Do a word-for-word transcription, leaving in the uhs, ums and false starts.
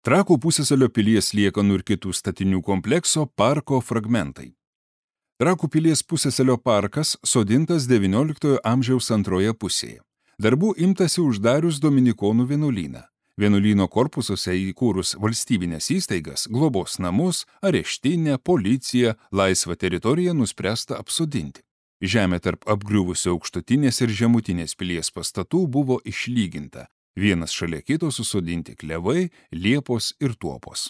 Trakų pusiasalio pilies liekanų ir kitų statinių komplekso parko fragmentai. Trakų pilies pusiasalio parkas sodintas devynioliktojo amžiaus antroje pusėje. Darbų imtasi uždarius dominikonų vienuolyną. Vienuolyno korpusuose įkūrus valstybinės įstaigas, globos namus, areštinę, policiją, laisvą teritoriją nuspręsta apsodinti. Žemė tarp apgriuvusių aukštutinės ir žemutinės pilies pastatų buvo išlyginta. Vienas šalia kito susodinti klevai, liepos ir tuopos.